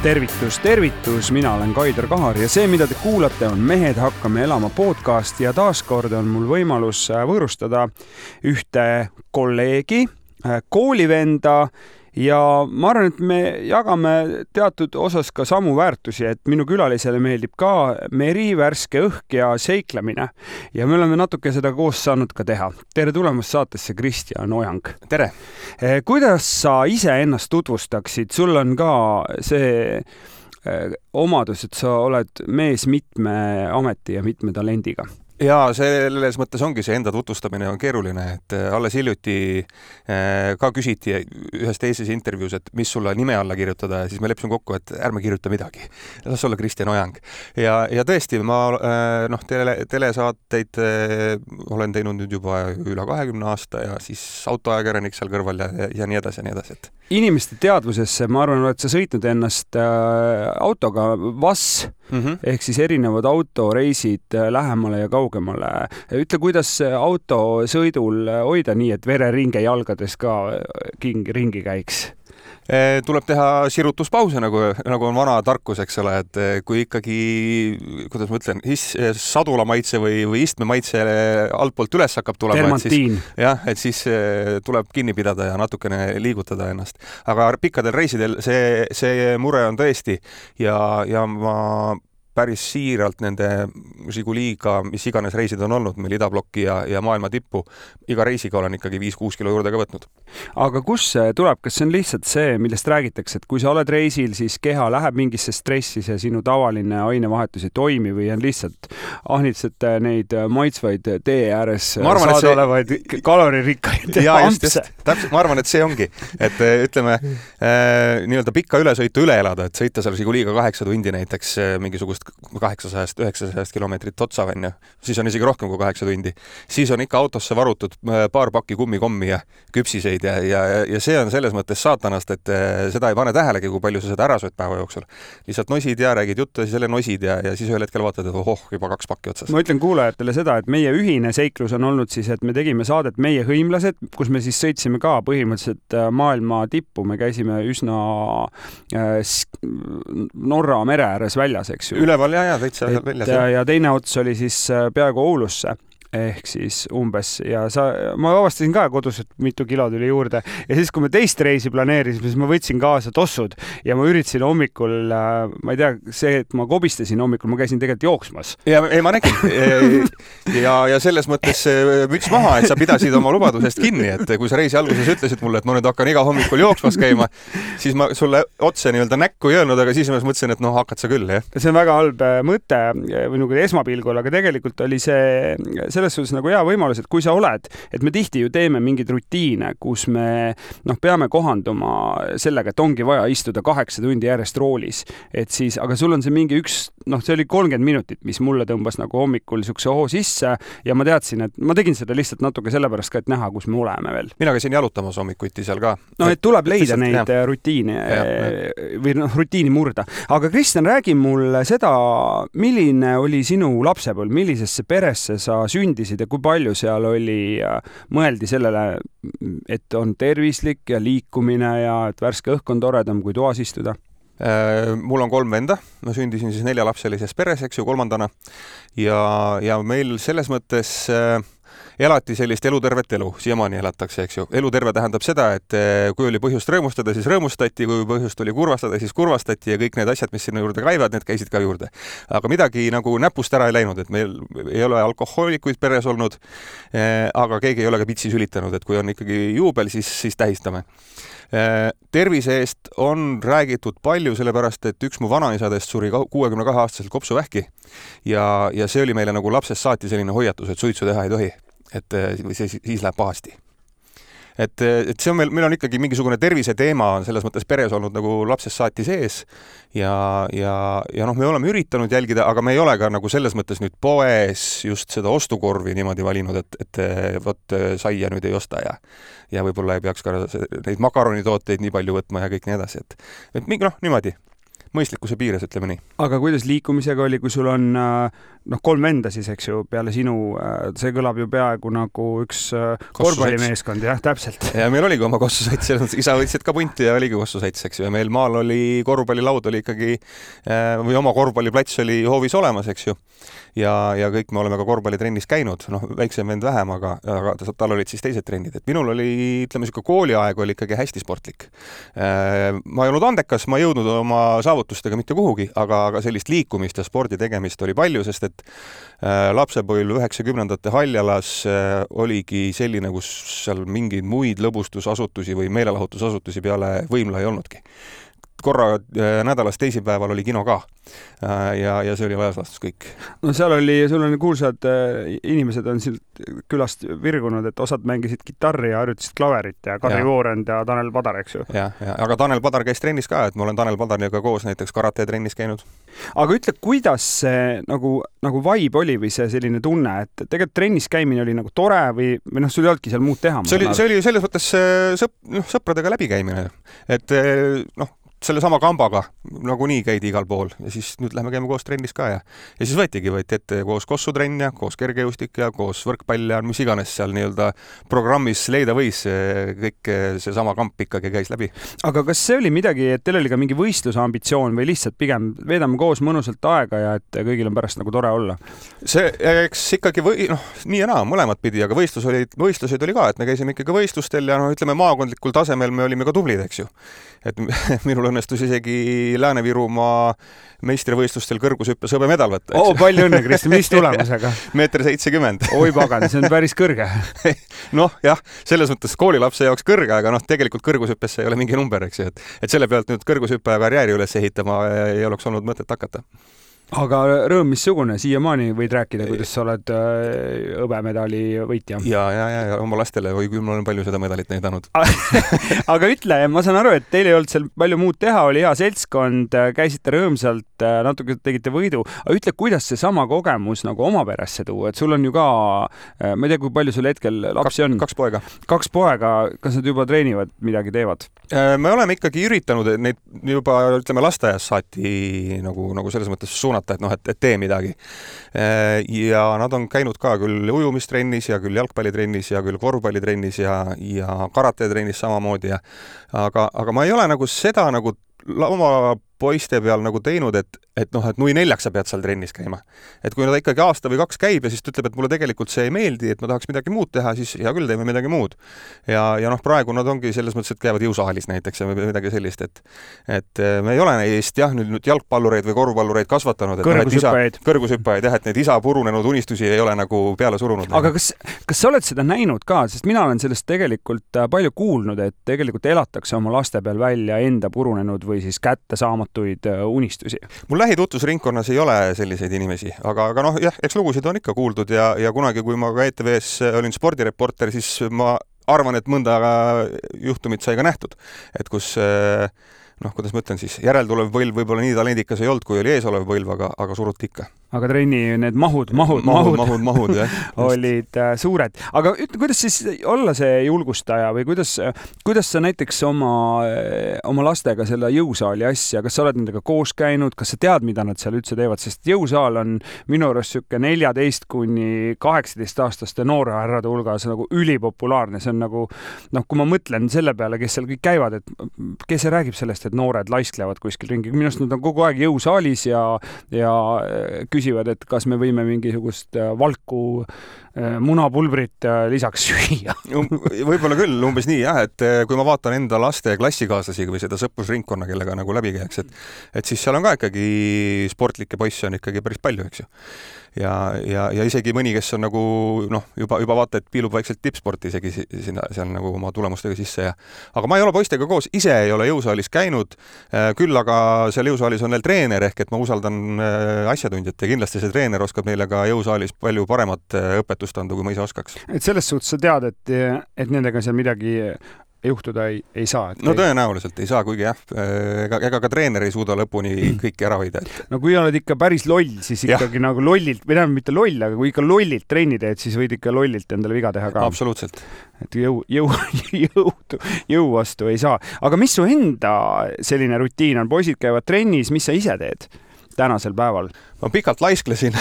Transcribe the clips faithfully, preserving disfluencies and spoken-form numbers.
Tervitus, tervitus, mina olen Kaidar Kahar ja see, mida te kuulate, on Mehed hakkame elama podcast ja taaskord on mul võimalus võõrustada ühte kolleegi, koolivenda ja ma arvan, et me jagame teatud osas ka samu väärtusi, et minu külalisele meeldib ka meri, värske õhk ja seiklemine ja me oleme natuke seda koos saanud ka teha. Tere tulemast saatesse, Kristjan Ojang. Tere! Kuidas sa ise ennast tutvustaksid? Sul on ka see omadus, et sa oled mees mitme ameti ja mitme talendiga. Ja selles mõttes ongi see enda tutvustamine on keeruline, et alles hiljuti ka küsiti ühes teises intervjuus, et mis sulle nime alla kirjutada ja siis me leppisime kokku, et ärme kirjuta midagi. Las olla Kristjan Ojang. Ja, ja tõesti, ma noh, tele, telesaateid olen teinud nüüd juba üle kahekümne aasta ja siis autoajakirjanik seal kõrval ja, ja nii edasi ja nii edasi. Et. Inimeste teadvusesse, ma arvan, et sa sõitnud ennast autoga V A S mm-hmm. ehk siis erinevad autoreisid lähemale ja kaugemale. Ütle, kuidas autosõidul hoida nii, et vereringe jalgades ka king ringi käiks? Tuleb teha sirutuspause, nagu, nagu on vana tarkus, eks ole, et kui ikkagi, kuidas ma ütlen, sadula maitse või, või istme maitse altpoolt üles hakkab tulema, et siis, jah, et siis tuleb kinni pidada ja natukene liigutada ennast. Aga pikkadel reisidel see, see mure on tõesti ja, ja ma päris siiralt nende Žiguliga, mis iganes reisid on olnud, meil idablokki ja, ja maailma tippu, iga reisiga olen ikkagi viis kuus kilo juurde ka võtnud. Aga kus see tuleb? Kas see on lihtsalt see, millest räägitakse, et kui sa oled reisil, siis keha läheb mingisse stressi, see sinu tavaline ainevahetus ei toimi või on lihtsalt ahnitsete neid maitsvaid tee ääres arvan, saada see... olevaid kaloririkkaid ampse? Täpselt, ma arvan, et see ongi, et ütleme äh, nii-öelda pikka ülesõitu üle elada, et sõita seal Žiguliga kaheksa tundi näiteks mingisugust kaheksasada üheksasada kilomeetrit otsa venja, siis on isegi rohkem kui kaheksa tundi. Siis on ikka autosse varutud paar pakki kummikommi ja küpsiseid ja, ja, ja see on selles mõttes saatanast, et seda ei pane tähelegi, kui palju sa seda ära sööd päeva jooksul. Lihtsalt nosid ja räägid juttu ja siis jälle nosid ja, ja siis ühel hetkel vaatad, et ohoh, juba kaks pakki otsas. Ma ütlen kuulajatele seda, et meie ühine seiklus on olnud siis, et me tegime saadet Meie hõimlased, kus me siis sõitsime ka põhimõtteliselt maailma tippu. Me käisime üsna Norra mere ääres väljas, eks ju. Üleval ja, ja täitsa väljas. Ja, ja teine ots oli siis peaaegu Oulusse ehk siis umbes ja sa, ma avastasin ka kodus, et mitu kilo tuli juurde ja siis, kui me teist reisi planeerisime, siis ma võtsin kaasa tossud ja ma üritasin hommikul, ma ei tea, see, et ma kobistasin hommikul, ma käisin tegelikult jooksmas. Ja ei, ma nägin ja, ja selles mõttes müts maha, et sa pidasid oma lubadusest kinni, et kui sa reisi alguses ütlesid mulle, et ma nüüd hakkan iga hommikul jooksmas käima, siis ma sulle otse nii-öelda näkku ei öelnud, aga siis ma mõtlesin, et noh, hakkad sa küll, jah. See on väga halb mõte või nagu esmapilgul, aga tegelikult oli see selles suhtes nagu hea võimalus, et kui sa oled, et me tihti ju teeme mingeid rutiine, kus me noh, peame kohanduma sellega, et ongi vaja istuda kaheksa tundi järjest roolis, et siis, aga sul on see mingi üks, noh, see oli kolmkümmend minutit, mis mulle tõmbas nagu hommikul sukse hoo sisse ja ma teadsin, et ma tegin seda lihtsalt natuke sellepärast ka, et näha, kus me oleme veel. Mina käisin jalutamas hommikuti seal ka. No, et tuleb leida et neid jah. rutiine ja, ja. või noh, rutiini murda. Aga Kristjan, räägi mulle seda, milline oli sinu lapsepõlv, millisesse peresse sa sündisid ja kui palju seal oli, mõeldi sellele, et on tervislik ja liikumine ja et värske õhk on toredam kui toas istuda? Mul on kolm venda, ma sündisin siis neljalapselises peres, eks ju, kolmandana ja, ja meil selles mõttes elati sellist elutervet elu, siiamaani elatakse, eks ju. Eluterve tähendab seda, et kui oli põhjust rõõmustada, siis rõõmustati, kui põhjust oli kurvastada, siis kurvastati ja kõik need asjad, mis sinna juurde käivad, need käisid ka juurde. Aga midagi nagu näpust ära ei läinud, et meil ei ole alkohoolikuid peres olnud, aga keegi ei ole ka pitsi sülitanud, et kui on ikkagi juubel, siis, siis tähistame. Tervise eest on räägitud palju, sellepärast, et üks mu vanaisadest suri kuuekümne kahe aastaselt kopsuvähki ja, ja see oli meile nagu lapsest saati selline hoiatus, et suitsu teha ei tohi, et see, siis läheb pahasti. Et, et see on meil, meil on ikkagi mingisugune tervise teema on selles mõttes peres olnud nagu lapsest saati sees ja, ja, ja noh, me oleme üritanud jälgida, aga me ei ole ka nagu selles mõttes nüüd poes just seda ostukorvi niimoodi valinud, et, et võt saia nüüd ei osta ja, ja võib-olla ei peaks ka neid makaronitooteid nii palju võtma ja kõik nii edasi, et, et mingi noh, niimoodi. mõistlikkuse piires, ütleme nii. Aga kuidas liikumisega oli, kui sul on noh, kolm venda siis, eks ju, peale sinu, see kõlab ju peaaegu nagu üks korvpallimeeskond, jah, täpselt. Ja meil oligi oma kossusaits, isa võtsid ka punti ja oligi kossusaits, eks ju, ja meil maal oli korvpallilaud oli ikkagi, või oma korvpalliplats oli hoovis olemas, eks ju, ja, ja kõik me oleme ka korvpallitrennis käinud, noh, väiksem vend vähem, aga, aga tal olid siis teised trennid, et minul oli, ütleme, siuke kooliaeg oli ikkagi hästi sportlik. Ma ei olnud andekas, ma ei jõudnud oma saavutustega mitte kuhugi, aga, aga sellist liikumist ja spordi tegemist oli palju, sest et lapsepõlv üheksakümnendate Haljalas oligi selline, kus seal mingeid muid lõbustusasutusi või meelelahutusasutusi peale Võimla ei olnudki. Korra nädalas teisipäeval oli kino ka ja, ja see oli laias laastus kõik. No seal oli, sul on kuulsad inimesed on siit külast virgunud, et osad mängisid kitarri ja harjutasid klaverit ja Karri Voorend ja Tanel Padar, eks ju. Ja, ja, aga Tanel Padar käis trennis ka, et ma olen Tanel Padariga koos näiteks karate trennis käinud. Aga ütle, kuidas see nagu, nagu vibe oli või see selline tunne, et tegelikult trennis käimine oli nagu tore või, või noh, sul ei olnudki seal muud teha? See oli, see oli selles mõttes sõp, noh, sõpradega läbikäimine, et noh, selle sama kambaga nagu nii käidi igal pool ja siis nüüd lähme käime koos trennis ka ja, ja siis võetigi, võeti ette koos kossutrenn ja koos kergejõustik ja koos võrkpall ja mis iganes seal nii-öelda programmis leida võis, kõik see sama kamp ikkagi käis läbi. Aga kas see oli midagi, et teil oli ka mingi võistluse ambitsioon või lihtsalt pigem veedame koos mõnusalt aega ja et kõigil on pärast nagu tore olla? See, eks ikkagi või, noh, nii ja naa, mõlemad pidi, aga võistlus oli, võistluseid oli ka, et me käisime ikkagi võistlustel ja no ütleme maakondlikul tasemel me olime ka tublid, eks ju. Et minul õnnestus isegi Lääne-Virumaa meistrivõistlustel kõrgushüppes hõbemedal võtta. Oo, palju õnne, Kristi, mis tulemusega? meeter seitsekümmend. Oi pagan, see on päris kõrge. noh, jah, selles mõttes koolilapse jaoks kõrge, aga noh, tegelikult kõrgushüppesse ei ole mingi number, eks ju, et, et selle pealt nüüd kõrgushüppe karjääri üles ehitama ei oleks olnud mõtet hakata. Aga rõõm missugune, siiamaani võid rääkida, kuidas sa oled hõbemedali võitja? Ja, ja, ja, ja oma lastele või kui ma olen palju seda medalit näidanud. Aga ütle, ma saan aru, et teil ei olnud seal palju muud teha, oli hea seltskond, käisite rõõmsalt, natuke tegite võidu. Aga ütle, kuidas see sama kogemus nagu oma peresse tuua, et sul on ju ka, ma ei tea, kui palju sul hetkel lapsi on? Kaks poega. Kaks poega, kas nad juba treenivad, midagi teevad? Me oleme ikkagi üritanud neid juba, ütleme, lasteaias saati nagu, nagu selles mõttes suunata, et noh, et, et tee midagi. Ja nad on käinud ka küll ujumistrennis ja küll jalgpallitrennis ja küll korvpallitrennis ja, ja karatetrennis samamoodi. Ja, aga, aga ma ei ole nagu seda nagu oma poiste peal nagu teinud, et, et noh, et nui neljaks sa pead seal trennis käima. Et kui nad ikkagi aasta või kaks käib ja siis ütleb, et mulle tegelikult see ei meeldi, et ma tahaks midagi muud teha, siis hea küll, teeme midagi muud. Ja, ja noh, praegu nad ongi selles mõttes, et käivad jõusaalis näiteks ja midagi sellist, et, et me ei ole neist jah, nüüd, nüüd jalgpallureid või korvpallureid kasvatanud. Kõrgushüppajaid. Kõrgushüppajaid, jah, et need isa purunenud unistusi ei ole nagu peale surunud. Aga kas, kas sa oled seda näinud ka, sest mina olen sellest tegelikult palju kuulnud, et tegelikult elatakse oma laste peal välja enda purunenud või siis kätte saamatuid unistusi. Mul lähitutvusringkonnas ei ole selliseid inimesi, aga, aga noh, jah, eks lugusid on ikka kuuldud ja, ja kunagi, kui ma ka E T V-s olin spordireporter, siis ma arvan, et mõnda juhtumit sai ka nähtud, et kus noh, kuidas ma ütlen siis, järeltulev põlv võib-olla nii talendikas ei olnud, kui oli eesolev põlv, aga, aga suruti ikka. Aga trenni need mahud, mahud, mahud, mahud, mahud jah, olid äh, suured. Aga ütle, kuidas siis olla see julgustaja või kuidas, kuidas sa näiteks oma, oma lastega selle jõusaali asja, kas sa oled nendega koos käinud, kas sa tead, mida nad seal üldse teevad, sest jõusaal on minu arust siuke neljateist kuni kaheksateist aastaste noorehärrade hulgas nagu ülipopulaarne. See on nagu, noh, kui ma mõtlen selle peale, kes seal kõik käivad, et kes see räägib sellest, et noored laisklevad kuskil ringi. Minust nad on kogu aeg jõusaalis ja, ja küsivad, et kas me võime mingisugust valku munapulbrit lisaks süüa. Võib-olla küll, umbes nii jah, et kui ma vaatan enda laste klassikaaslasi või seda sõprusringkonna, kellega nagu läbi käiks, et, et siis seal on ka ikkagi sportlikke poisse on ikkagi päris palju, eks ju. Ja, ja, ja isegi mõni, kes on nagu noh, juba, juba vaata, et piilub vaikselt tippsporti isegi sinna, seal nagu oma tulemustega sisse ja aga ma ei ole poistega koos, ise ei ole jõusaalis käinud, küll aga seal jõusaalis on neil treener ehk et ma usaldan asjatundjat ja kindlasti see treener oskab neile ka jõusaalis palju paremat õpetust anda, kui ma ise oskaks. Et selles suhtes sa tead, et, et nendega seal midagi juhtuda ei, ei saa. No tõenäoliselt ei saa, kuigi jah, ega, ega ka treener ei suuda lõpuni kõiki ära hoida. Et... No kui oled ikka päris loll, siis ikkagi ja. Nagu lollilt, või tähendab mitte loll, aga kui ikka lollilt trenni teed, siis võid ikka lollilt endale viga teha ka. Absoluutselt. Et jõu, jõu, jõu, jõu vastu ei saa. Aga mis su enda selline rutiin on? Poisid käivad trennis, mis sa ise teed tänasel päeval? Ma pikalt laisklesin,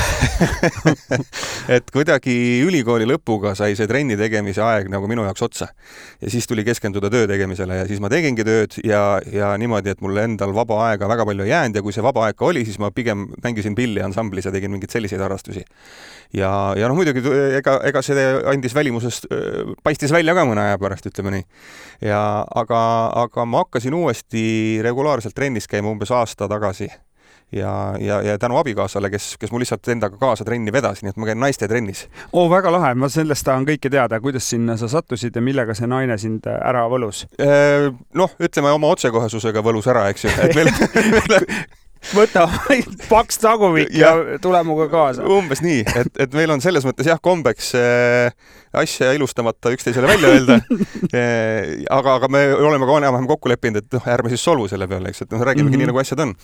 et kuidagi ülikooli lõpuga sai see trenni tegemise aeg nagu minu jaoks otsa. Ja siis tuli keskenduda töö tegemisele ja siis ma tegingi tööd ja, ja niimoodi, et mulle endal vaba aega väga palju ei jäänud ja kui see vaba aega oli, siis ma pigem mängisin pilli ansamblis ja tegin mingeid selliseid harrastusi. Ja, ja noh, muidugi ega, ega see andis välimusest, paistis välja ka mõne aja pärast, ütleme nii. Ja, aga, aga ma hakkasin uuesti regulaarselt trennis käima umbes aasta tagasi. Ja, ja, ja tänu abikaasale, kes, kes mul lihtsalt endaga kaasa trenni vedas, nii et ma käin naiste trennis. Oo, väga lahe. Ma sellest tahan kõike teada, kuidas sinna sa sattusid ja millega see naine sind ära võlus? Noh, ütleme oma otsekohesusega võlus ära, eks ju. Et meil, meil... Võta paks tagumik ja, ja tule muga kaasa. Umbes nii, et, et meil on selles mõttes jah kombeks äh, asja ilustamata üksteisele välja öelda. äh, aga, aga me oleme ka enam-vähem kokku leppinud, et noh, ärme siis solvu selle peale, eks, et noh, räägimegi mm -hmm. nii, nagu asjad on.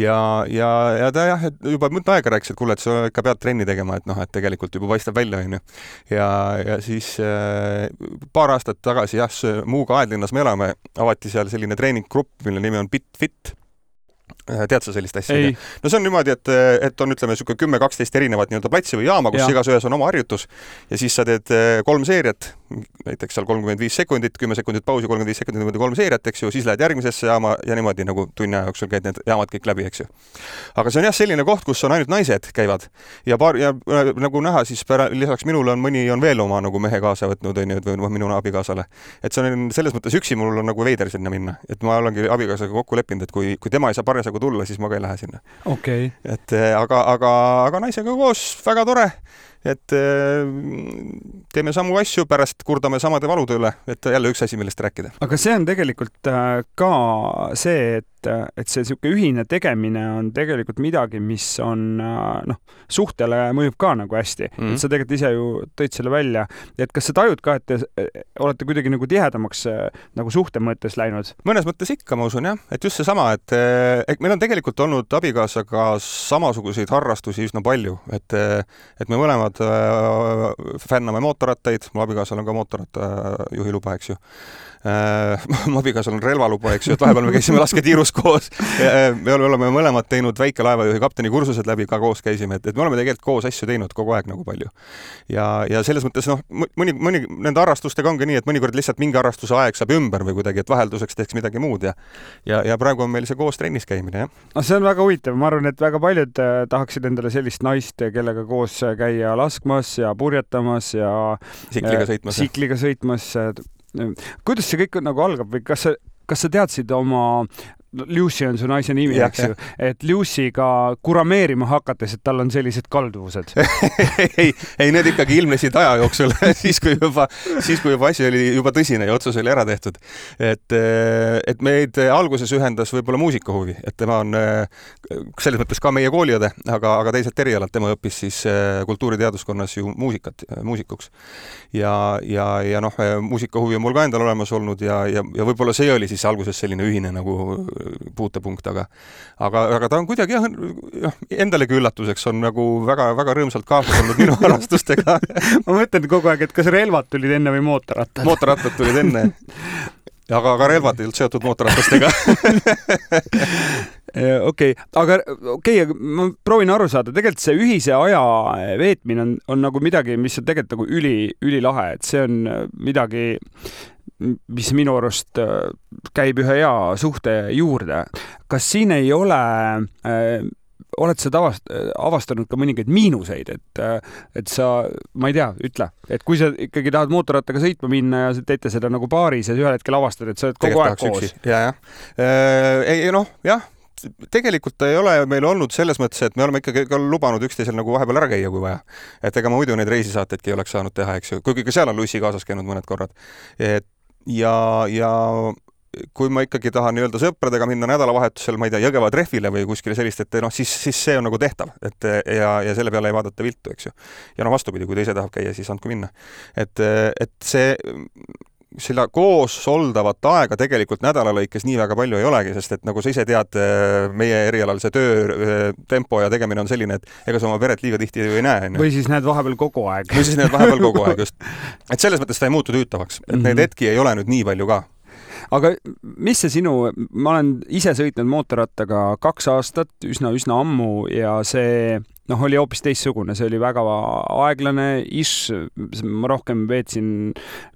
Ja, ja, ja ta jah, et juba mõnda aega rääkis, et kuule, et sa ikka pead trenni tegema, et noh, et tegelikult juba paistab välja, on ju. Ja, ja siis äh, paar aastat tagasi jah, Muuga Aedlinnas me elame, avati seal selline treeninggrupp, mille nimi on BitFit. Tead sa sellist asja? No see on niimoodi, et, et on ütleme niisugune kümme kaksteist erinevat nii-öelda platsi või jaama, kus ja. Igas ühes on oma harjutus ja siis sa teed kolm seeriat, näiteks seal kolmkümmend viis sekundit, kümme sekundit pausi, kolmkümmend viis sekundit niimoodi kolm seeriat, eks ju, siis lähed järgmisesse jaama ja niimoodi nagu tunni aja jooksul käid need jaamad kõik läbi, eks ju. Aga see on jah selline koht, kus on ainult naised käivad ja, paar, ja nagu näha, siis pära, lisaks minule on mõni on veel oma nagu mehe kaasa võtnud või minu abikaasale. Et see on selles mõttes üksi mul on nagu veider sinna minna, et ma olengi abikaasaga kokku leppinud, et kui, kui tema ei saa parjasagu tulla, siis ma ka ei lähe sinna. Okay. Et aga, aga, aga naisega koos väga tore, et teeme samu asju, pärast kurdame samade valude üle, et jälle üks asi, millest rääkida. Aga see on tegelikult ka see, et, et see niisugune ühine tegemine on tegelikult midagi, mis on noh, suhtele mõjub ka nagu hästi. Mm-hmm. Et sa tegelikult ise ju tõid selle välja. Et kas sa tajud ka, et te olete kuidagi nagu tihedamaks nagu suhte mõttes läinud? Mõnes mõttes ikka, ma usun, jah. Et just see sama, et, et meil on tegelikult olnud abikaasaga samasuguseid harrastusi üsna palju. Et, et me mõlemad fänname mootorrattaid, mu abikaasal on ka mootorratta juhiluba, eks ju. Mu abikaasal on relvaluba, eks ju, et vahepeal me käisime lasketiirus koos. Me oleme mõlemad teinud väikelaevajuhi kapteni kursused läbi, ka koos käisime, et, et me oleme tegelikult koos asju teinud kogu aeg nagu palju. Ja, ja selles mõttes, noh, mõni, mõni nende harrastustega ongi nii, et mõnikord lihtsalt mingi harrastuse aeg saab ümber või kuidagi, et vahelduseks teeks midagi muud ja, ja, ja praegu on meil see koos trennis käimine, jah. No, see on väga huvitav. Ma arvan, et väga paljud tahaksid endale sellist naist, kellega koos käia laskmas ja purjetamas ja sikliga sõitmas. Sikliga sõitmas. Kuidas see kõik nagu algab või kas sa, kas sa teadsid oma Lucy on su naise nimi, ja, eks ju, et Lucy'ga kurameerima hakates, et tal on sellised kalduvused. ei, ei, need ikkagi ilmnesid aja jooksul, siis kui juba, siis kui juba asi oli juba tõsine ja otsus oli ära tehtud. Et, et meid alguses ühendas võib-olla muusikahuvi, et tema on selles mõttes ka meie kooliõde, aga, aga teised erialad, tema õppis siis kultuuriteaduskonnas ju muusikat, muusikuks. Ja, ja, ja noh, muusikahuvi on mul ka endal olemas olnud ja, ja, ja võib-olla see oli siis alguses selline ühine nagu puutepunkt, aga, aga, aga ta on kuidagi jah, endalegi üllatuseks on nagu väga, väga rõõmsalt kaasas olnud minu harrastustega. Ma mõtlen kogu aeg, et kas relvad tulid enne või mootorrattad? Mootorrattad tulid enne. Aga ka relvad ei olnud seotud mootorratastega. Okei, aga okei, ma proovin aru saada, tegelikult see ühise aja veetmine on, on nagu midagi, mis on tegelikult nagu üli, üli lahe, et see on midagi, mis minu arust käib ühe hea suhte juurde. Kas siin ei ole, äh, oled sa tavast, avastanud ka mõningaid miinuseid, et, et sa, ma ei tea, ütle, et kui sa ikkagi tahad mootorrattaga sõitma minna ja teete seda nagu paaris ja ühel hetkel avastad, et sa oled kogu aeg koos. Ja, ja. Ei, noh, jah. Tegelikult ei ole meil olnud selles mõttes, et me oleme ikkagi ka lubanud üksteisel nagu vahepeal ära käia, kui vaja. Et ega ma muidu neid reisisaateidki ei oleks saanud teha, eks ju. Kuigi ka seal on Lucy kaasas käinud mõned korrad. Et, ja, ja kui ma ikkagi tahan nii-öelda sõpradega minna nädalavahetusel, ma ei tea, Jõgeva trehvile või kuskile sellist, et noh, siis, siis see on nagu tehtav. Et, ja, ja selle peale ei vaadata viltu, eks ju. Ja no vastupidi, kui teise tahab käia, siis andku minna. Et, et see selle koos soldavat aega tegelikult nädala lõikes nii väga palju ei olegi, sest et nagu sa ise tead, meie erialal see töö tempo ja tegemine on selline, et ega sa oma peret liiga tihti ei näe. Või siis näed vahepeal kogu aeg. Või siis näed vahepeal kogu aeg, just. Et selles mõttes ta ei muutu tüütavaks. Et neid hetki ei ole nüüd nii palju ka. Aga mis see sinu, ma olen ise sõitnud mootorrattaga kaks aastat, üsna, üsna ammu ja see noh, oli hoopis teistsugune, see oli väga aeglane, ish, ma rohkem veetsin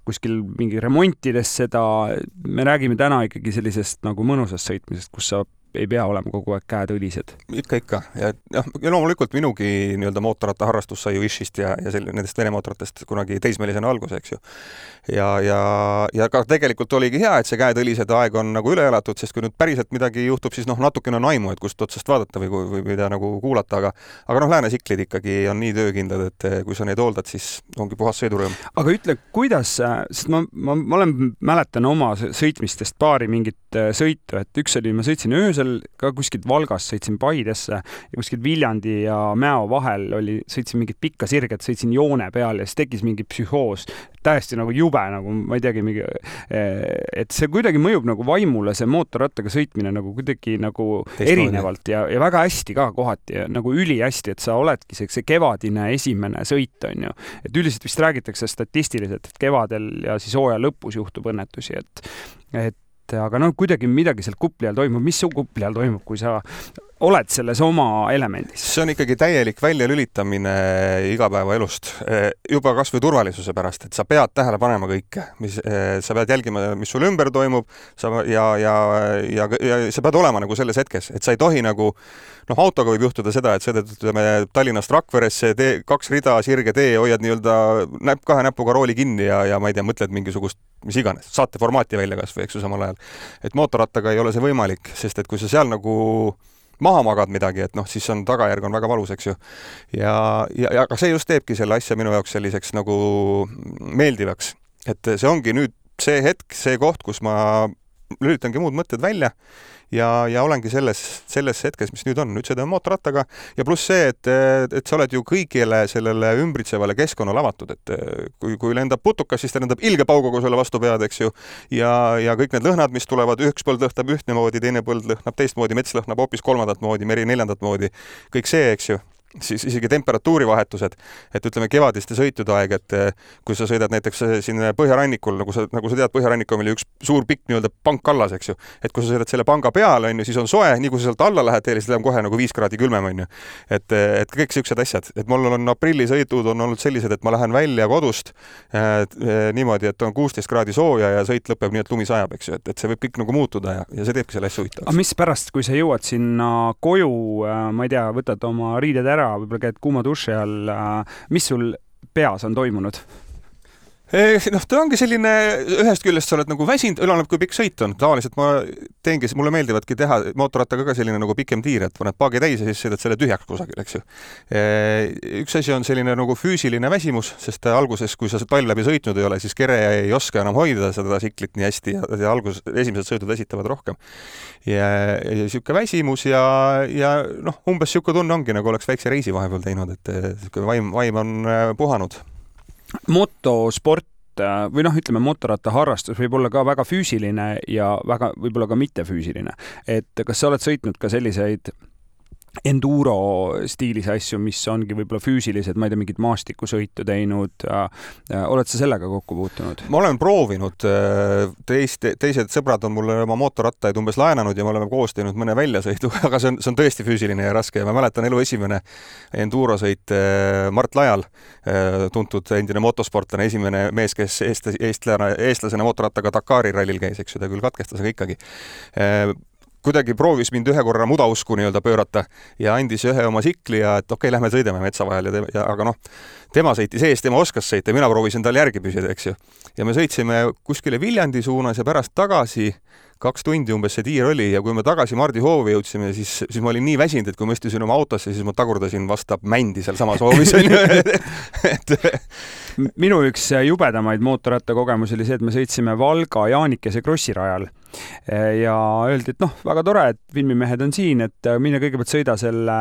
kuskil mingi remontides seda, me räägime täna ikkagi sellisest nagu mõnusast sõitmisest, kus sa ei pea olema kogu aeg käed õlised. Ikka, ikka. Ja, ja, ja loomulikult minugi nii-öelda mootorratta harrastus sai ju Ishist ja, ja sel, nendest Vene mootorratest kunagi teismelisena alguse, eks ju. Ja, ja, ja ka tegelikult oligi hea, et see käed õlised aeg on nagu üle elatud, sest kui nüüd päriselt midagi juhtub, siis noh, natukene on aimu, et kust otsast vaadata või, või mida nagu kuulata, aga, aga noh, läänesiklid ikkagi on nii töökindlad, et kui sa neid hooldad, siis ongi puhas sõidurõõm. Aga ütle, kuidas, sest ma, ma, ma olen mäletan oma sõitmistest paari mingit sõitu, et üks oli, ma sõitsin öösel ka kuskilt Valgast, sõitsin Paidesse ja kuskilt Viljandi ja Mäo vahel oli, sõitsin mingit pikka sirget, sõitsin joone peal ja siis tekkis mingi psühhoos, täiesti nagu jube, nagu ma ei teagi, mingi, et see kuidagi mõjub nagu vaimule, see mootorrattaga sõitmine nagu kuidagi nagu Teist erinevalt ja, ja väga hästi ka kohati ja nagu üli hästi, et sa oledki see, see kevadine esimene sõit on ju. Et üldiselt vist räägitakse statistiliselt, et kevadel ja siis hooaja lõpus juhtub õnnetusi, et, et aga noh, kuidagi midagi seal kupli all toimub. Mis su kupli all toimub, kui sa oled selles oma elemendis? See on ikkagi täielik väljalülitamine igapäevaelust. Juba kas või turvalisuse pärast, et sa pead tähele panema kõike. Mis, sa pead jälgima, mis sul ümber toimub sa, ja, ja, ja, ja sa pead olema nagu selles hetkes, et sa ei tohi nagu noh, autoga võib juhtuda seda, et sõidad Tallinnast Rakveresse, tee, kaks rida, sirge tee, hoiad nii-öelda näpp, kahe näpuga rooli kinni ja, ja ma ei tea, mõtled mingisugust mis iganes, saate formaati välja kas või, eks ju, samal ajal. Et mootorrattaga ei ole see võimalik, sest et kui sa seal nagu maha magad midagi, et noh, siis on tagajärg on väga valus, eks ju. Ja, ja, ja aga see just teebki selle asja minu jaoks selliseks nagu meeldivaks. Et see ongi nüüd see hetk, see koht, kus ma lülitangi muud mõtted välja ja, ja olengi selles, selles hetkes, mis nüüd on. Nüüd sõidame mootorrattaga ja pluss see, et, et sa oled ju kõigile sellele ümbritsevale keskkonnale avatud, et kui, kui lendab putukas, siis ta lendab ilge pauguga sulle vastu pead, eks ju. Ja, ja kõik need lõhnad, mis tulevad, üks põld lõhnab ühtne moodi, teine põld lõhnab teistmoodi, mets lõhnab hoopis kolmandat moodi, meri neljandat moodi. Kõik see, eks ju. Siis isegi temperatuurivahetused, et ütleme kevadiste sõitude aeg, et kui sa sõidad näiteks siin põhjarannikul, nagu sa, nagu sa tead, põhjarannikul oli üks suur pikk nii-öelda pank allas, eks ju. Et kui sa sõidad selle panga peale, on ju, siis on soe, nii kui sa sealt alla lähed, siis läheb kohe nagu viis kraadi külmem, on ju. Et, et kõik siuksed asjad, et mul on aprillisõidud on olnud sellised, et ma lähen välja kodust et, niimoodi, et on kuusteist kraadi sooja ja sõit lõpeb nii, et lumi sajab, eks ju, et, et see võib kõik nagu muutuda ja, ja see teebki selle asja huvitavaks. Aga mis pärast, kui sa jõuad sinna koju, ma ei tea, võtad oma riided ära, võib-olla käid kuuma duši all, mis sul peas on toimunud? Noh, ta ongi selline, ühest küljest sa oled nagu väsinud, üleneb kui pikk sõit on. Tavaliselt ma teengi, mulle meeldivadki teha mootorrattaga ka selline nagu pikem tiir, et paned paagi täis ja siis sõidad selle tühjaks kusagil, eks ju. Üks asi on selline nagu füüsiline väsimus, sest alguses, kui sa talv läbi sõitnud ei ole, siis kere ei oska enam hoida seda siklit nii hästi ja, ja alguses esimesed sõidud väsitavad rohkem. Ja, ja siuke väsimus ja, ja noh, umbes siuke tunne ongi, nagu oleks väikse reisi vahepeal teinud, et siuke vaim, vaim on puhanud. Motosport või noh, ütleme, mootorratta harrastus võib olla ka väga füüsiline ja väga, võib-olla ka mittefüüsiline. Et kas sa oled sõitnud ka selliseid enduro stiilis asju, mis ongi võib-olla füüsilised, ma ei tea, mingit maastikusõitu teinud. Oled sa sellega kokku puutunud? Ma olen proovinud. Teist, teised sõbrad on mulle oma mootorrattaid umbes laenanud ja me oleme koos teinud mõne väljasõidu, aga see on, see on tõesti füüsiline ja raske. Ja ma mäletan elu esimene endurosõit Mart Lajal, tuntud endine motosportlane, esimene mees, kes eest, eestlane, eestlasena mootorrattaga Dakari rallil käis, eks ju, ta küll katkestas, aga ikkagi. Kuidagi proovis mind ühe korra mudausku nii-öelda pöörata ja andis ühe oma sikli ja et okei, okay, lähme sõidame metsa vahel. Ja, ja, aga noh, tema sõitis ees, tema oskas sõita ja mina proovisin tal järgi püsida, eks ju. Ja me sõitsime kuskile Viljandi suunas ja pärast tagasi kaks tundi umbes see tiir oli ja kui me tagasi Mardi hoovi jõudsime, siis, siis ma olin nii väsinud, et kui ma istusin oma autosse, siis ma tagurdasin vastab mändi seal samas hoovis. et... Minu üks jubedamaid mootorratta kogemus oli see, et me sõitsime Valga Jaanikese krossirajal ja öeldi, et noh, väga tore, et filmimehed on siin, et mine kõigepealt sõida selle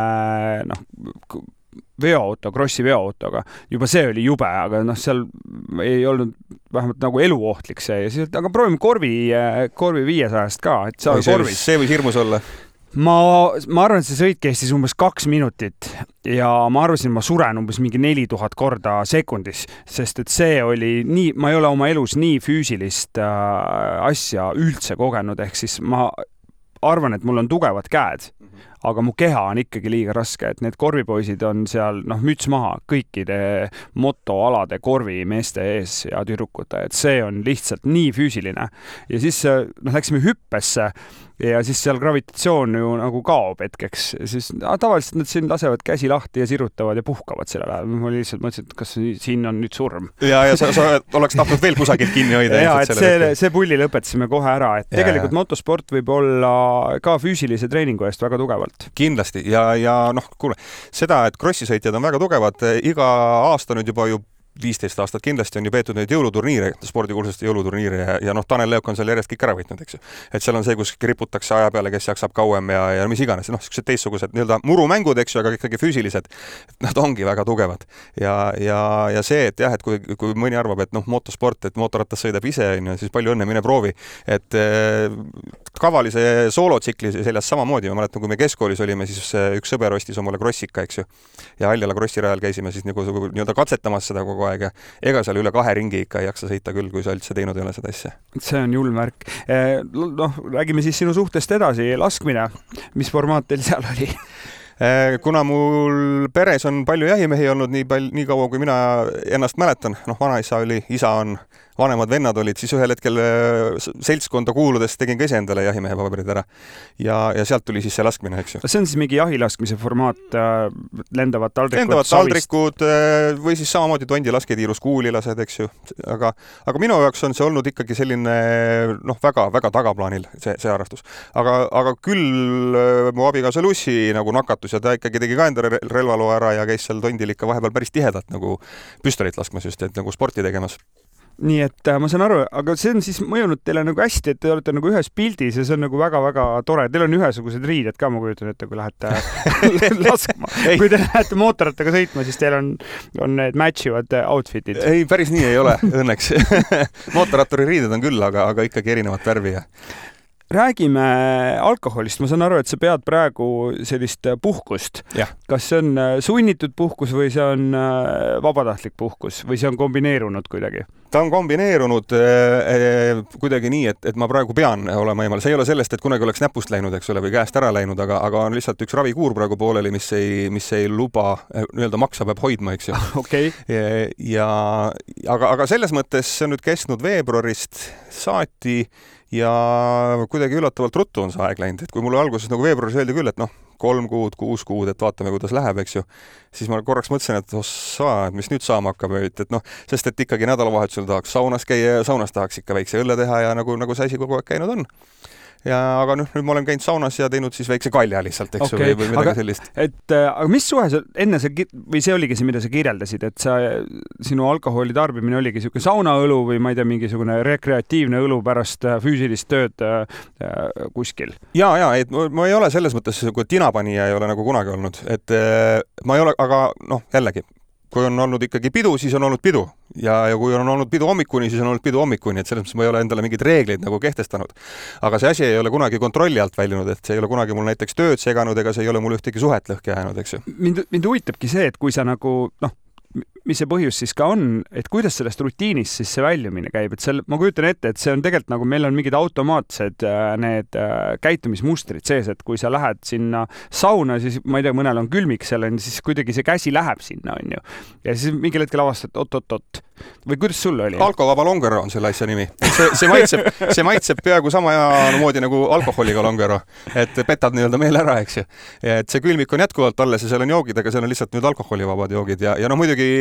noh, veoauto, krossi veoautoga. Juba see oli jube, aga noh, seal ei olnud vähemalt nagu eluohtlik see. Ja siis, aga proovime korvi, korvi viiesajast ka, et saa see, korvis. See võis hirmus olla. Ma, ma arvan, et see sõit kestis umbes kaks minutit ja ma arvasin, ma suren umbes mingi neli tuhat korda sekundis, sest et see oli nii, ma ei ole oma elus nii füüsilist äh, asja üldse kogenud, ehk siis ma arvan, et mul on tugevad käed, aga mu keha on ikkagi liiga raske, et need korvipoisid on seal, noh, müts maha kõikide motoalade korvimeeste ees ja tüdrukute, et see on lihtsalt nii füüsiline. Ja siis, noh, läksime hüppesse ja siis seal gravitatsioon ju nagu kaob hetkeks. Siis ah, tavaliselt nad siin lasevad käsi lahti ja sirutavad ja puhkavad selle ajal. Ma lihtsalt mõtlesin, et kas siin on nüüd surm. Ja, ja sa, sa oleks tahtnud veel kusagilt kinni hoida. Ja, et see, see pulli lõpetasime kohe ära, et ja, tegelikult ja. Motosport võib olla ka füüsilise treeningu eest väga tugevalt. Kindlasti ja, ja noh, kuule, seda, et krossisõitjad on väga tugevad, iga aasta nüüd juba ju viisteist aastat kindlasti on ju peetud neid jõuluturniire, spordikuulsuste jõuluturniire ja, ja noh, Tanel Leok on seal järjest kõik ära võitnud, eks ju. Et seal on see, kus riputakse aja peale, kes jaksab kauem ja, ja mis iganes, noh, sellised teistsugused nii-öelda murumängud, eks ju, aga ikkagi füüsilised, nad ongi väga tugevad. Ja, ja, ja see, et jah, et kui, kui mõni arvab, et noh, motosport, et mootorrattas sõidab ise, siis palju õnne, mine proovi. Et eh, kavalise soolotsikli seljas samamoodi, ma mäletan, kui me keskkoolis olime, siis üks sõber ostis omale krossika, eks ju. Ja Aljala krossirajal käisime siis nagu, nii-öelda katsetamas seda kogu aeg ja ega seal üle kahe ringi ikka ei jaksa sõita küll, kui sa üldse teinud ei ole seda asja. See on julm värk. Noh, räägime siis sinu suhtest edasi. Laskmine, mis formaat teil seal oli? Kuna mul peres on palju jahimehi olnud nii, palju, nii kaua, kui mina ennast mäletan, noh, vanaisa oli, isa on, vanemad vennad olid, siis ühel hetkel seltskonda kuuludes tegin ka ise endale jahimehe paberid ära. Ja, ja sealt tuli siis see laskmine, eks ju. See on siis mingi jahilaskmise formaat, lendavad taldrikud, lendavad taldrikud või siis samamoodi tondi lasketiirus kuulilased, eks ju. Aga, aga minu jaoks on see olnud ikkagi selline, noh, väga, väga tagaplaanil see, see harrastus. Aga, aga küll mu abikaasa Lussi nagu nakatus ja ta ikkagi tegi ka enda relvaloo ära ja käis seal tondil ikka vahepeal päris tihedalt nagu püstolit laskmas just, et nagu sporti tegemas. Nii et ma saan aru, aga see on siis mõjunud teile nagu hästi, et te olete nagu ühes pildis ja see on nagu väga-väga tore. Teil on ühesugused riided ka, ma kujutan ette, kui lähete laskma. Kui te lähete mootorrattaga sõitma, siis teil on, on need matchivad outfitid. Ei, päris nii ei ole, õnneks. Mootorratturi riided on küll, aga, aga ikkagi erinevat värvi. Räägime alkoholist. Ma saan aru, et sa pead praegu sellist puhkust. Ja. Kas see on sunnitud puhkus või see on vabatahtlik puhkus või see on kombineerunud kuidagi? Ta on kombineerunud eh, kuidagi nii, et, et ma praegu pean olema eemal. See ei ole sellest, et kunagi oleks näpust läinud, eks ole, või käest ära läinud, aga, aga on lihtsalt üks ravikuur praegu pooleli, mis ei, mis ei luba, nii-öelda maksa peab hoidma, eks ju. Okay. Ja, aga, aga selles mõttes see on nüüd kestnud veebruarist saati ja kuidagi üllatavalt ruttu on see aeg läinud, et kui mulle alguses nagu veebruaris öeldi küll, et noh, kolm kuud, kuus kuud, et vaatame, kuidas läheb, eks ju, siis ma korraks mõtlesin, et ossa, et mis nüüd saama hakkab, et noh, sest et ikkagi nädalavahetusel tahaks saunas käia ja saunas tahaks ikka väikse õlle teha ja nagu, nagu see asi kogu aeg käinud on. Ja, aga noh, nüüd ma olen käinud saunas ja teinud siis väikse kalja lihtsalt, eks okay. või, või midagi aga, sellist. Et, aga mis suhe sa enne sa, või see oligi see, mida sa kirjeldasid, et sa, sinu alkoholi tarbimine oligi siuke saunaõlu või ma ei tea, mingisugune rekreatiivne õlu pärast füüsilist tööd äh, kuskil? Ja, ja, et ma ei ole selles mõttes, kui tinapanija ei ole nagu kunagi olnud, et äh, ma ei ole, aga noh, jällegi, kui on olnud ikkagi pidu, siis on olnud pidu. Ja, ja kui on olnud pidu hommikuni, siis on olnud pidu hommikuni, et selles mõttes ma ei ole endale mingeid reegleid nagu kehtestanud. Aga see asi ei ole kunagi kontrolli alt väljunud, et see ei ole kunagi mul näiteks tööd seganud, ega see ei ole mul ühtegi suhet lõhki jäänud, eks ju. Mind, mind huvitabki see, et kui sa nagu, noh, mis see põhjus siis ka on, et kuidas sellest rutiinist siis see väljumine käib, et seal, ma kujutan ette, et see on tegelikult nagu meil on mingid automaatsed need käitumismustrid sees, et kui sa lähed sinna sauna, siis ma ei tea, mõnel on külmik seal, siis kuidagi see käsi läheb sinna, on ju. Ja siis mingil hetkel avastad, oot-oot-oot. Või kuidas sul oli? Alkovaba longero on selle asja nimi. See, see, maitseb, see maitseb peaaegu sama moodi nagu alkoholiga longero, et petad nii-öelda meil ära, eks ju. Et see külmik on jätkuvalt alles ja seal on joogid, aga seal on lihtsalt nüüd alkoholivabad joogid ja, ja no muidugi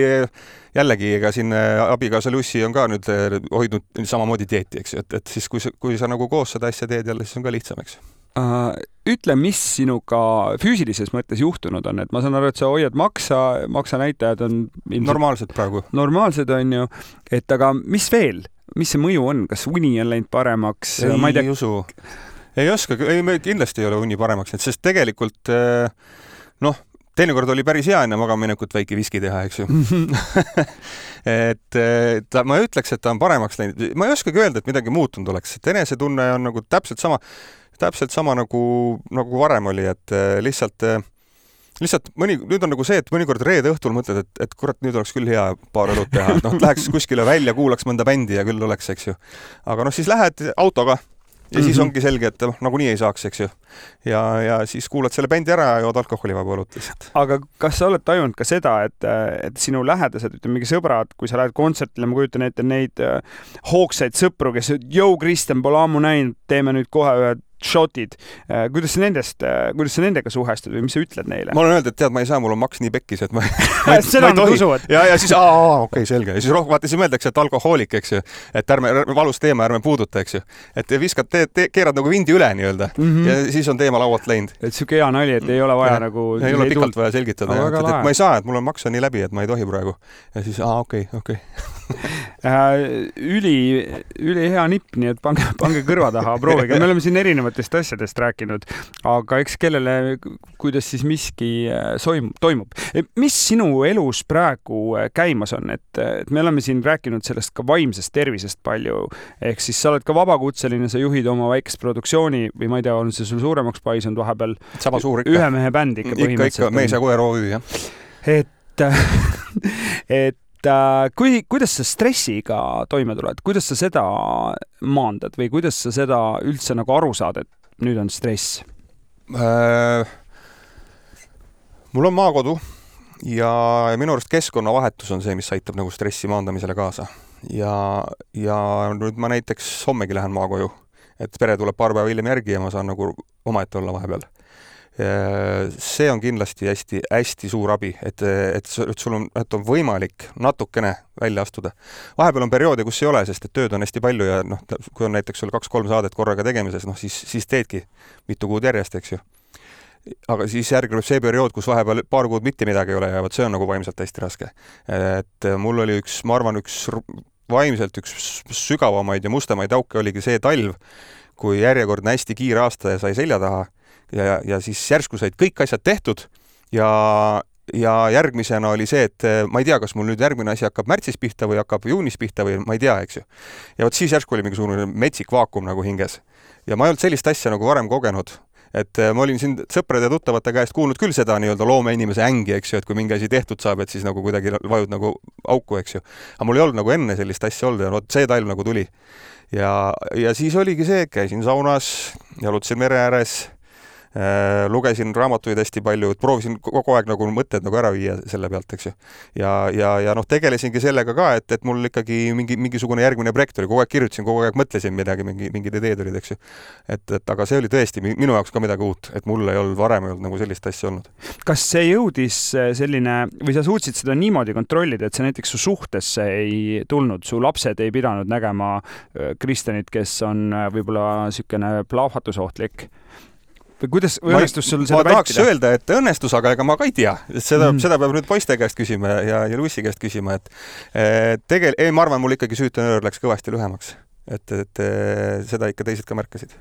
jällegi, ega siin abikaasa Lussi on ka nüüd hoidnud samamoodi dieeti, eks ju, et, et siis kui sa, kui sa nagu koos seda asja teed jälle, siis on ka lihtsam, eks. Uh, ütle, mis sinuga füüsilises mõttes juhtunud on, et ma saan aru, et sa hoiad maksa, maksanäitajad on ilmselt normaalsed praegu. Normaalsed on ju, et aga mis veel, mis see mõju on, kas uni on läinud paremaks? Ei, ma ei tea... ei usu, ei oska, ei, me kindlasti ei ole uni paremaks, et sest tegelikult noh, teinekord oli päris hea enne magamaminekut väike viski teha, eks ju. et ta, ma ütleks, et ta on paremaks läinud. Ma ei oskagi öelda, et midagi muutunud oleks. Et enesetunne on nagu täpselt sama, täpselt sama nagu, nagu varem oli, et lihtsalt, lihtsalt mõni, nüüd on nagu see, et mõnikord reede õhtul mõtled, et, et kurat, nüüd oleks küll hea paar õlut teha. Noh, läheks kuskile välja, kuulaks mõnda bändi ja küll oleks, eks ju. Aga noh, siis lähed autoga ja siis ongi selge, et noh, nagu nii ei saaks, eks ju. Ja, ja siis kuulad selle bändi ära ja jood alkoholivaba õlut lihtsalt. Aga kas sa oled tajunud ka seda, et, et sinu lähedased, ütleme mingi sõbrad, kui sa lähed kontsertile, ma kujutan ette neid hoogsaid sõpru, kes jõu, Kristjan pole ammu näinud, teeme nüüd kohe ühe shotid. Kuidas sa nendest, kuidas sa nendega suhestud või mis sa ütled neile? Ma olen öelnud, et tead, ma ei saa, mul on maks nii pekkis, et ma, ma, seda ma ei tohi. Ja, ja siis, aa, okei, okay, selge. Ja siis rohkem vaata, siis mõeldakse, et alkohoolik, eks ju. Et ärme, valus teema, ärme puuduta, eks ju. Et viskad, te, te, keerad nagu vindi üle nii-öelda. Mm -hmm. Ja siis on teema laualt läinud. Et siuke hea nali, et ei ole vaja ja, nagu... Ei ole pikalt vaja selgitada. Ja, et, et ma ei saa, et mul on maks on nii läbi, et ma ei tohi praegu. Ja siis, aa, okei, okay, okei. Okay. üli, üli hea nipp, nii et pange, pange kõrva taha, proovige. Me oleme siin erinevatest asjadest rääkinud, aga eks kellele, kuidas siis miski soim, toimub. Mis sinu elus praegu käimas on? Et, et me oleme siin rääkinud sellest ka vaimsest tervisest palju. Ehk siis sa oled ka vabakutseline, sa juhid oma väikest produktsiooni või ma ei tea, on see sul suuremaks paisunud vahepeal? Sama suur ikka. Ühe mehe bänd ikka põhimõtteliselt. Ikka, ikka, mees ja koer O Ü, jah. Et, et kui, kuidas sa stressiga toime tuled? Kuidas sa seda maandad või kuidas sa seda üldse nagu aru saad, et nüüd on stress? Äh, mul on maakodu ja minu arust keskkonnavahetus on see, mis aitab nagu stressi maandamisele kaasa. Ja, ja nüüd ma näiteks hommegi lähen maakoju, et pere tuleb paar päeva hiljem järgi ja ma saan nagu omaette olla vahepeal. See on kindlasti hästi, hästi suur abi, et, et, et sul on, et on võimalik natukene välja astuda. Vahepeal on perioode, kus ei ole, sest et tööd on hästi palju ja noh, kui on näiteks sul kaks-kolm saadet korraga tegemises, noh siis, siis teedki mitu kuud järjest, eks ju. Aga siis järgneb see periood, kus vahepeal paar kuud mitte midagi ei ole ja võt, see on nagu vaimselt hästi raske. Et mul oli üks, ma arvan, üks vaimselt üks sügavamaid ja mustamaid auke oligi see talv, kui järjekordne hästi kiire aasta ja sai selja taha. Ja, ja siis järsku said kõik asjad tehtud ja, ja järgmisena oli see, et ma ei tea, kas mul nüüd järgmine asi hakkab märtsis pihta või hakkab juunis pihta või ma ei tea, eks ju. Ja võt siis järsku oli mingisugune metsik vaakum nagu hinges. Ja ma ei olnud sellist asja nagu varem kogenud. Et ma olin siin sõprade ja tuttavate käest kuulnud küll seda nii-öelda loome inimese ängi, eks ju, et kui mingi asi tehtud saab, et siis nagu kuidagi vajud nagu auku, eks ju. Aga mul ei olnud nagu enne sellist asja olnud ja no, see talv nagu tuli. Ja, ja siis oligi see, käisin saunas, jalutasin mere ääres, Äh, lugesin raamatuid hästi palju, et proovisin kogu aeg nagu mõtted nagu ära viia selle pealt, eks ju. Ja, ja, ja noh, tegelesingi sellega ka, et, et mul ikkagi mingi, mingisugune järgmine projekt oli, kogu aeg kirjutasin, kogu aeg mõtlesin midagi, mingi, mingid ideed olid, eks ju. Et, et aga see oli tõesti minu jaoks ka midagi uut, et mul ei olnud varem ei olnud nagu sellist asja olnud. Kas see jõudis selline, või sa suutsid seda niimoodi kontrollida, et see näiteks su suhtesse ei tulnud, su lapsed ei pidanud nägema Kristjanit, kes on võib-olla sükene plahvatusohtlik? Või kuidas õnnestus sul seda vältida? Ma tahaks öelda, et õnnestus, aga ega ma ka ei tea. Seda, mm. seda peab nüüd poiste käest küsima ja, ja Luissi käest küsima. Et, et tegel, ei, ma arvan, mul ikkagi süütenöör läks kõvasti lühemaks. Et, et seda ikka teised ka märkasid.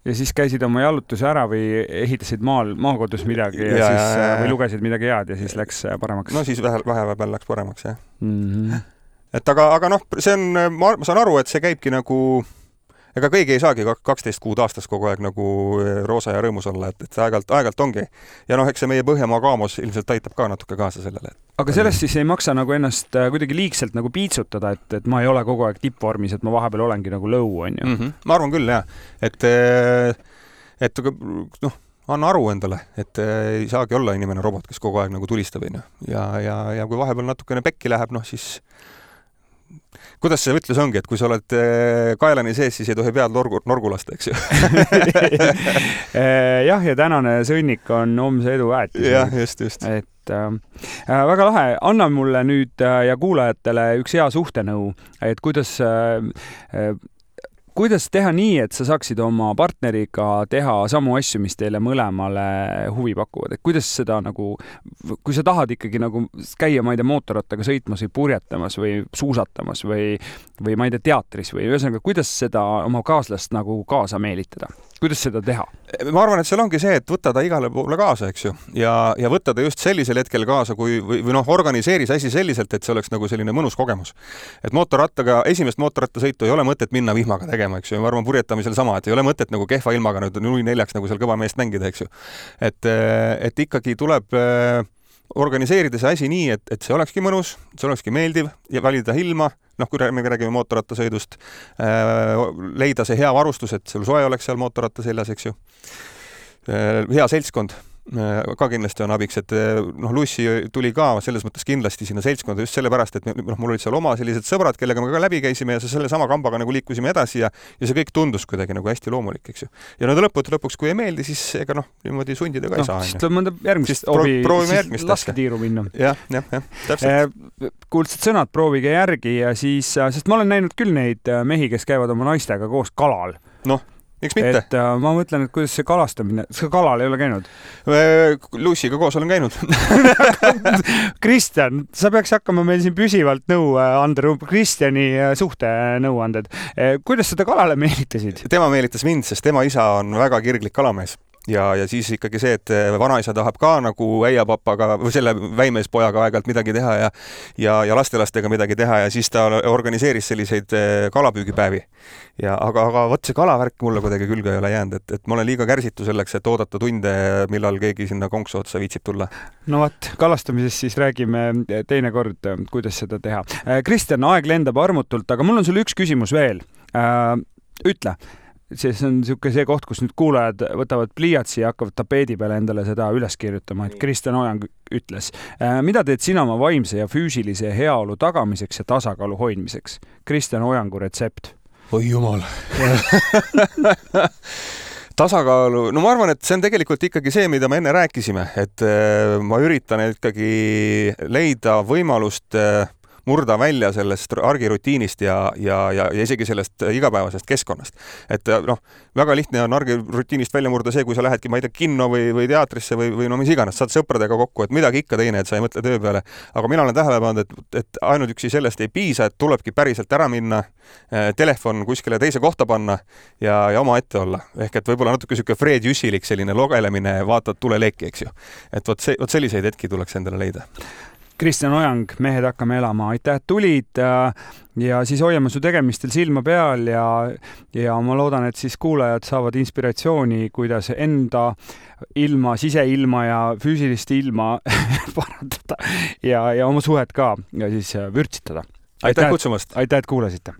Ja siis käisid oma jalutuse ära või ehitasid maal, maakodus midagi ja, ja, siis, ja, ja. või lugesid midagi head ja siis läks paremaks? No siis vähe, vähe peal läks paremaks, jah. Mm-hmm. Et aga, aga noh, see on, ma, ma saan aru, et see käibki nagu... Ega kõigi ei saagi kaksteist kuud aastas kogu aeg nagu roosa ja rõõmus olla, et, et aegalt, aegalt ongi. Ja noh, eks see meie Põhjamaa kaamos ilmselt aitab ka natuke kaasa sellele. Aga sellest siis ei maksa nagu ennast kuidagi liigselt nagu piitsutada, et, et ma ei ole kogu aeg tippvormis, et ma vahepeal olengi nagu lõu, on ju. Mm-hmm. Ma arvan küll, jah. Et, et noh, anna aru endale, et ei saagi olla inimene robot, kes kogu aeg nagu tulistab. Ja, ja, ja kui vahepeal natukene pekki läheb, noh siis... Kuidas see võtlus ongi, et kui sa oled kaelani sees, siis ei tohi pead norgu, norgu lasta, eks ju? Jah, ja tänane sõnnik on homse edu äätis. Jah, just, just. Et äh, väga lahe. Anna mulle nüüd ja kuulajatele üks hea suhtenõu, et kuidas äh, kuidas teha nii, et sa saaksid oma partneriga teha samu asju, mis teile mõlemale huvi pakuvad, et kuidas seda nagu, kui sa tahad ikkagi nagu käia, ma ei tea, mootorrattaga sõitmas või purjetamas või suusatamas või, või ma ei tea, teatris või ühesõnaga, kuidas seda oma kaaslast nagu kaasa meelitada? Kuidas seda teha? Ma arvan, et seal ongi see, et võtta ta igale poole kaasa, eks ju, ja, ja võtta ta just sellisel hetkel kaasa, kui, või, või noh, organiseeri see asi selliselt, et see oleks nagu selline mõnus kogemus. Et mootorrattaga, esimest mootorrattasõitu ei ole mõtet minna vihmaga tegema, eks ju, ma arvan, purjetamisel sama, et ei ole mõtet nagu kehva ilmaga nüüd null neljaks nagu seal kõva meest mängida, eks ju. Et, et ikkagi tuleb organiseerida see asi nii, et, et see olekski mõnus, see olekski meeldiv ja valida ilma, noh, kui me räägime mootorrattasõidust, leida see hea varustus, et sul soe oleks seal mootorratta seljas, eks ju. Hea seltskond ka kindlasti on abiks, et noh, Lucy tuli ka selles mõttes kindlasti sinna seltskonda just sellepärast, et noh, mul olid seal oma sellised sõbrad, kellega me ka läbi käisime ja selle sama kambaga nagu liikusime edasi ja, ja see kõik tundus kuidagi nagu hästi loomulik, eks ju. Ja no lõputu lõpuks, kui ei meeldi, siis ega noh, niimoodi sundida ka ei no, saa. Siis tuleb mõnda järgmist obi, siis laske tiiru minna. jah, jah, jah, täpselt. Kuuldsed sõnad, proovige järgi ja siis, sest ma olen näinud küll neid mehi, kes käivad oma naistega koos kalal. Noh, miks mitte? Et uh, ma mõtlen, et kuidas see kalastamine, kas kalal ei ole käinud? Lucy'ga koos olen käinud. Kristjan, sa peaks hakkama meil siin püsivalt nõu anda, Kristjani suhtenõuanded. Kuidas seda kalale meelitasid? Tema meelitas mind, sest tema isa on väga kirglik kalamees. Ja, ja siis ikkagi see, et vanaisa tahab ka nagu äiapapaga või selle väimeispojaga aeg-ajalt midagi teha ja, ja, ja lastelastega midagi teha ja siis ta organiseeris selliseid kalapüügipäevi. Ja, aga, aga võt see kalavärk mulle kuidagi külge ei ole jäänud, et, et ma olen liiga kärsitu selleks, et oodata tunde, millal keegi sinna konksu otsa viitsib tulla. No vaat, kalastamisest siis räägime teine kord, kuidas seda teha. Kristjan, aeg lendab armutult, aga mul on sulle üks küsimus veel. Ütle. See on niisugune see koht, kus nüüd kuulajad võtavad pliiatsi ja hakkavad tapeedi peale endale seda üles kirjutama, et Kristjan Ojang ütles. Mida teed sina oma vaimse ja füüsilise heaolu tagamiseks ja tasakaalu hoidmiseks? Kristjan Ojangu retsept. Oi jumal. Tasakaalu, no ma arvan, et see on tegelikult ikkagi see, mida me enne rääkisime, et ma üritan ikkagi leida võimalust murda välja sellest argirutiinist ja, ja, ja, ja isegi sellest igapäevasest keskkonnast. Et noh, väga lihtne on argirutiinist välja murda see, kui sa lähedki, ma ei tea, kinno või, või teatrisse või, või no mis iganes, saad sõpradega kokku, et midagi ikka teine, et sa ei mõtle töö peale. Aga mina olen tähele pannud, et, et ainult üksi sellest ei piisa, et tulebki päriselt ära minna, telefon kuskile teise kohta panna ja, ja oma ette olla. Ehk et võib-olla natuke siuke Fred Jüssilik selline logelemine, vaatad tuleleeki, eks ju. Et vot, see, vot selliseid hetki tuleks endale leida. Kristjan Ojang, mehed hakkame elama, aitäh, et tulid ja siis hoiame su tegemistel silma peal ja, ja ma loodan, et siis kuulajad saavad inspiratsiooni, kuidas enda ilma, siseilma ja füüsilist ilma parandada ja, ja oma suhet ka ja siis vürtsitada. Aitäh, aitäh kutsumast! Aitäh, et kuulasite!